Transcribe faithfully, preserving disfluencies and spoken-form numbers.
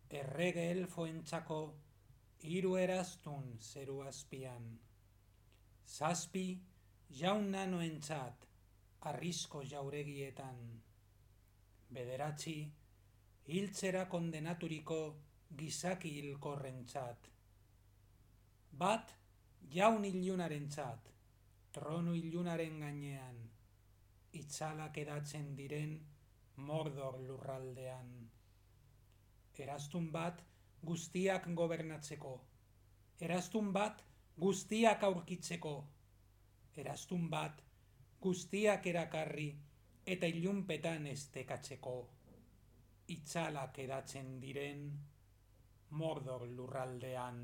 Errege elfoentzako hiru eraztun zeru azpian. Zazpi jaun nanoentzat arrisko jauregietan. Bederatzi hiltzera kondenaturiko gizaki hilkorrentzat. Bat jaun ilunarentzat, tronu ilunaren gainean, itzalak edatzen diren Mordor lurraldean. Eraztun bat guztiak gobernatzeko, eraztun bat guztiak aurkitzeko, eraztun bat guztiak erakarri eta ilunpetan estekatzeko, itzalak edatzen diren Mordor lurraldean.